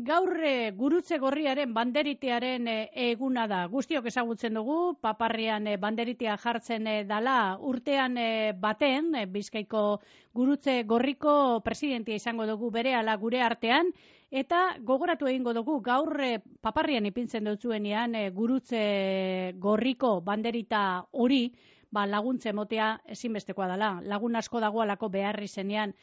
gaur gurutze gorriaren banderitearen eguna da. Guztiok ezagutzen dugu, paparrian banderitea jartzen dala urtean baten, Bizkaiko gurutze gorriko presidentia izango dugu berehala gure artean, eta gogoratu egingo dugu gaur paparrian ipintzen dutzuenean gurutze gorriko banderita hori, laguntza emotea ezinbestekoa dela. Lagun asko dagoalako behar izenean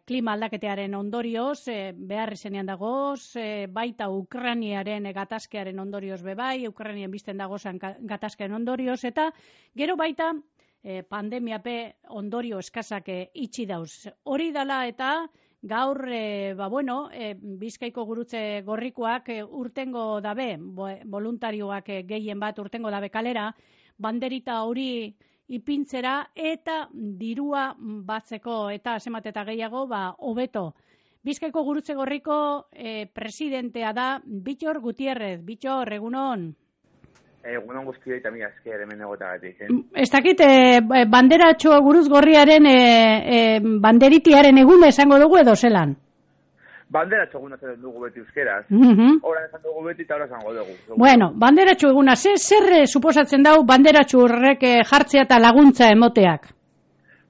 klima aldaketearen ondorioz, behar izenean dagoz, baita Ukrainiaren gatazkearen ondorioz bebai, Ukrainien bizten dagozan gatazkearen ondorioz, eta gero baita pandemiape ondorio eskasak itxi dauz. Hori dala eta gaur, Bizkaiko gurutze gorrikoak urtengo dabe, voluntarioak gehien bat urtengo dabe kalera, banderita hori ipintzera eta dirua batzeko eta zenbat eta gehiago hobeto. Bizkaiko gurutze gorriko presidentea da Bittor Gutierrez. Bittor, egunon. Egunon guztioi eta mila esker hemen egotagatik. Ez dakit, banderatxo guruz gorriaren banderitiaren eguna esango dugu edo zelan? Banderatxo eguna zen dugu beti euskeraz. Horan esan dugu beti eta horan esango dugu. Bueno, banderatxo eguna, zer suposatzen dau banderatxo horrek jartzea eta laguntza emoteak?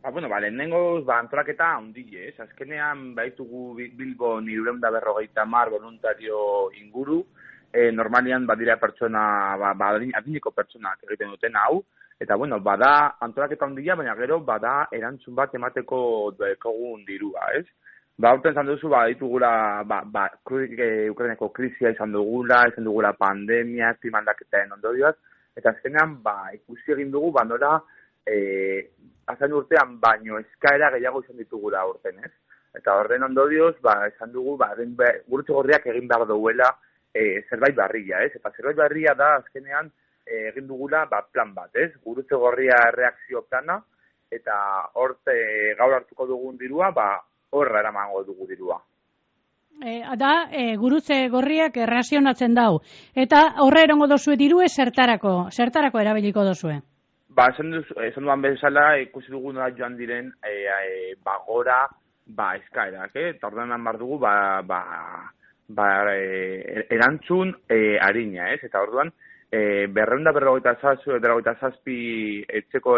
Lehenengoz, antolaketa handile, azkenean baitugu Bilbon 250 voluntario inguru, normalian badira pertsona, adineko pertsonak egiten duten hau, eta bada antolaketa handia, baina gero bada erantzun bat emateko dekogun dirua, ez? Horten izan duzu, ditugula, Ukraineko krisia izan dugula pandemia, klima aldaketaren ondorioak, eta azkenean, ikusi egin dugu, nola, azan urtean, baino eskaera gehiago izan ditugula urten, ez? Eta horren ondorioz, izan dugu, gurutze gorriak egin behar duela zerbait barria, ez? Eta zerbait barria da, azkenean, egin dugula, plan bat, ez? Gurutze gorria reakzio plana, eta gaur hartuko dugun dirua, horra eramango dugu dirua. Gurutze gorriak errazionatzen dau. Eta horra erongo dozue dirue zertarako erabiliko dozue? Esan duan bezala, ikusi dugu nola joan diren gora eskaerak, eta ordenan bar dugu erantzun harina, ez? Eta orduan, 257 etxeko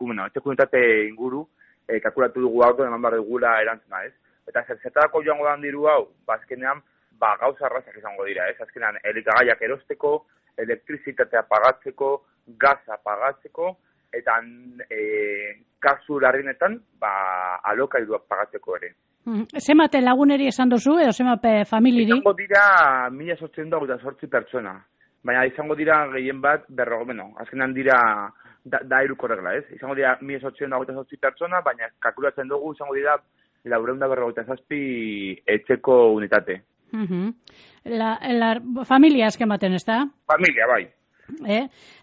unitate inguru, kalkulatu dugu hau, eman behar dugula erantzuna, ez? Eta zertarako joango dan diru hau, azkenean, gauza arrazak izango dira, ez? Azkenean, elikagaiak erosteko, elektrizitatea pagatzeko, gaza pagatzeko, eta kasu larrinetan, alokairuak pagatzeko ere. Zemate laguneri esan dozu, edo zemate familiri? Izango dira 1828 pertsona. Baina izango dira gehien bat, azkenean dira da iruko regla, ez? Izango dira 1828 pertsona, baina kalkulatzen dugu izango dira 457 etxeko unitate. Familia azken baten, ez da? Familia, bai.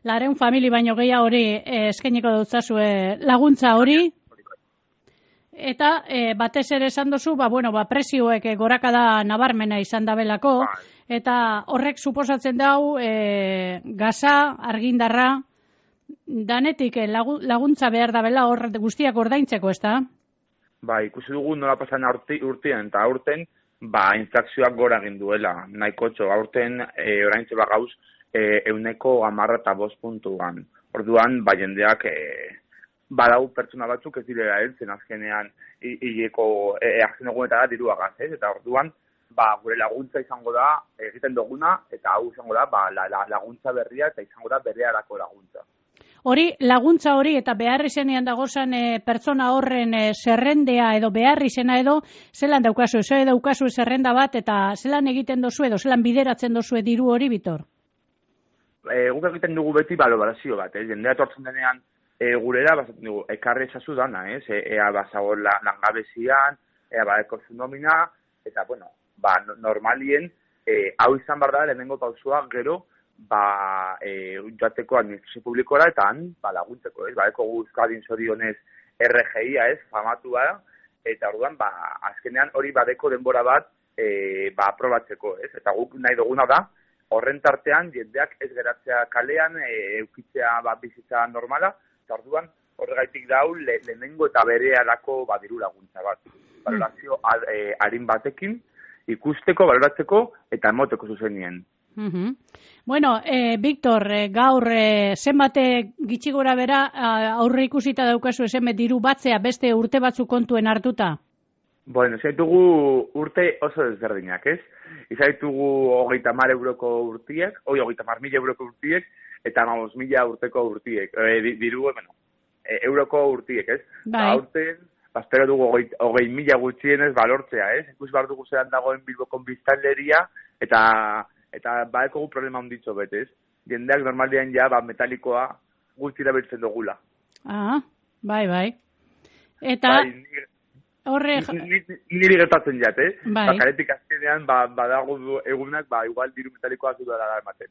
Lareun famili baino gehiago hori eskainiko dutzazue laguntza hori. Eta batez ere esan dozu, prezioek gorakada nabarmena izan dabelako, eta horrek suposatzen dau gaza, argindarra, danetik laguntza behar dabela hor guztiak ordaintzeko, ez da? Ikusi dugu nola pasan urtean, eta aurten, inflazioak gora egin duela, nahikotxo, aurten oraintxe gauz 115%. Orduan, jendeak badau pertsona batzuk ez direla heltzen azkenean hileko azken egunetara diruagaz, ez? Eta orduan, gure laguntza izango da egiten duguna, eta hau izango da laguntza berria eta izango da bereharako laguntza. Hori, laguntza hori eta behar izenean dagozan pertsona horren zerrendea edo behar izena edo, zelan daukazu, daukazu zerrenda bat eta zelan egiten dozu edo, zelan bideratzen dozu diru hori, Bittor? Guk egiten dugu beti balorazio bat, jendea etortzen denean gurera, ekarri ezazu dana, ea bazago langabezian, ea badeko zu nomina, eta, normalien, hau izan behar da, lehenengo pausua, gero, joateko administrazio publikora, eta han, laguntzeko, badeko Euskadin zorionez RGIa, famatua da, eta orduan, azkenean hori badeko denbora bat, aprobatzeko, eta guk nahi duguna da, horren tartean, jendeak ez geratzea kalean, eukitzea bizitza normala, eta orduan, horregaitik dau, lehenengo eta berehalako diru laguntza bat. Balorazio harin batekin, ikusteko, baloratzeko eta emoteko zuzenien. Bueno, Victor, gaur zenbate gitxi gora bera aurre ikusita daukazu zenbait diru batzea beste urte batzu kontuen hartuta? Bueno, zaitugu urte oso desberdinak, ez? Izaitugu 30.000 euroko urtiek, 30.000 euroko urtiek, eta 5.000 urteko urtiek. Diru, bueno, euroko urtiek, ez? Bai. Aurten, espero dugu 20.000 gutxienez balortzea, ez? Ikus behar dugu zelan dagoen Bilboko biztanleria, eta badekogu problema onditxo betez. Jendeak normalian ja, metalikoa guzti erabiltzen dugula. Bai. Eta... Bai, niri gertatzen jat, Bai. Karetik azkenean, badago egunak, igual diru metalikoak du da ematen.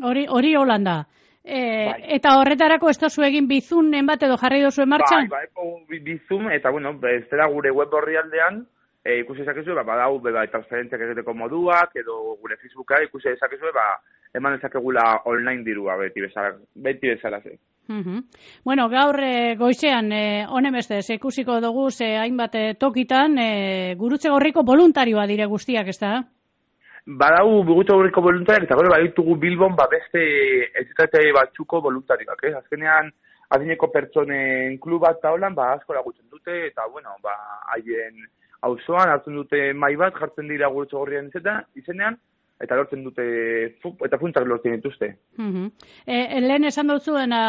Hori Holanda. Bai. Eta horretarako ez dozu egin bizunen bat edo jarri dozu martxan? Bai, bizun, eta bueno, ez dela gure web horrialdean, ikusi ezakezu, badau, transferentziak egiteko moduak, edo gure Facebooka ikusi ezakezu, eman ezakegula online dirua beti bezala ze. Bueno, gaur goizean, honen bestez, ikusiko dugu hainbat tokitan, Gurutze Gorriko voluntarioa dire guztiak, ez da? Badau Gurutze Gorriko voluntariak, eta gero baditugu Bilbon beste entitate batzuko voluntarioak, Azkenean, adineko pertsonen klub bat taulan, asko lagutzen dute, eta bueno, haien auzoan hartzen dute mai bat, jartzen dira Gurutze Gorrian izenean, eta lortzen dute, eta puntak lortzen dituzte. Lehen esan dut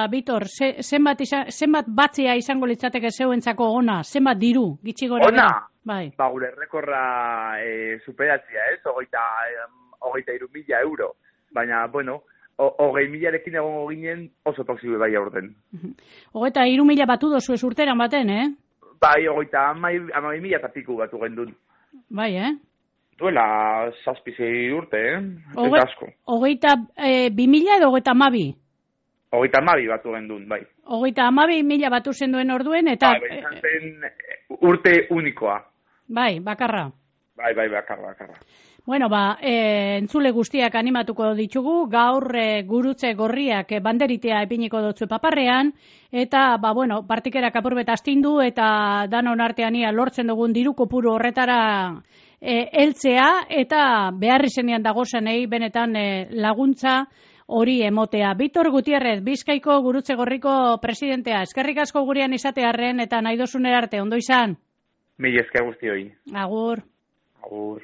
Bitor, zenbat batzea izango litzateke zeuentzako ona, zenbat diru, gitxi gora? Ona? Bai. Gure rekorra superatzea, 23.000 euro. Baina, bueno, 20.000ekin egongo ginen oso posible bai aurten. 23.000 batu dozu ez urteran baten, Bai, 30.000 eta piku batu gendun. Bai, Duela 6 urte, ez asko. 22.000 edo 32.000? 32.000 batu gendun, bai. 32.000 batu zenduen orduen, eta... Bai, izan zen urte unikoa. Bai, bakarra. Bai, bakarra. Bueno, entzule guztiak animatuko ditugu, gaur Gurutze Gorriak banderitea epiniko dutzu paparrean, eta, partikerak apurbet astindu, eta danon artean lortzen dugun diru kopuru horretara heltzea, eta beharri zenean dagozanei benetan laguntza hori emotea. Bitor Gutierrez, Bizkaiko Gurutze Gorriko presidentea, eskerrik asko gurean izatearren, eta nahi dozunera arte, ondo izan? Mila esker guztioi. Agur. Agur.